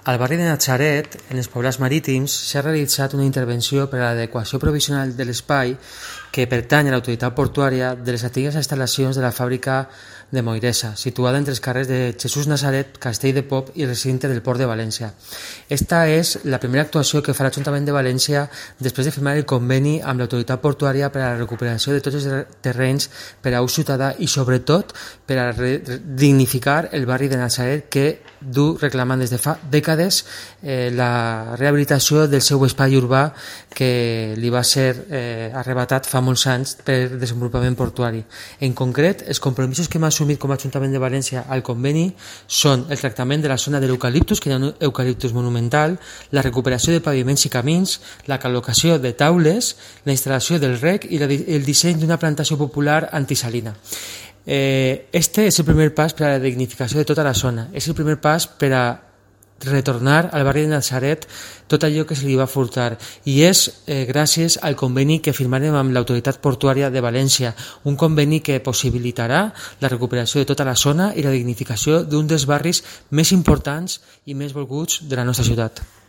Al barri de Natzaret, en els poblats marítims, s'ha realitzat una intervenció per a l'adequació provisional de l'espai que pertany a l'autoritat portuària de les antigues instal·lacions de la fàbrica de Moiresa, situada entre els carrers de Jesús Nazaret, Castell de Pop i recinte del Port de València. Esta és la primera actuació que fa l'Ajuntament de València després de firmar el conveni amb l'autoritat portuària per a la recuperació de tots els terrenys per a ús ciutadà i sobretot per a dignificar el barri de Natzaret que du reclamant des de fa dècades la rehabilitació del seu espai urbà que li va ser arrebatat fa molts anys per desenvolupament portuari. En concret, els compromisos que hem assumit com a Ajuntament de València al conveni són el tractament de la zona de l'eucaliptus, que hi ha un eucaliptus monumental, la recuperació de paviments i camins, la col·locació de taules, la instal·lació del rec i el disseny d'una plantació popular antisalina. Este és el primer pas per a la dignificació de tota la zona, és el primer pas per a retornar al barri de Natzaret tot allò que se li va furtar i és gràcies al conveni que firmarem amb l'autoritat portuària de València, un conveni que possibilitarà la recuperació de tota la zona i la dignificació d'un dels barris més importants i més volguts de la nostra ciutat.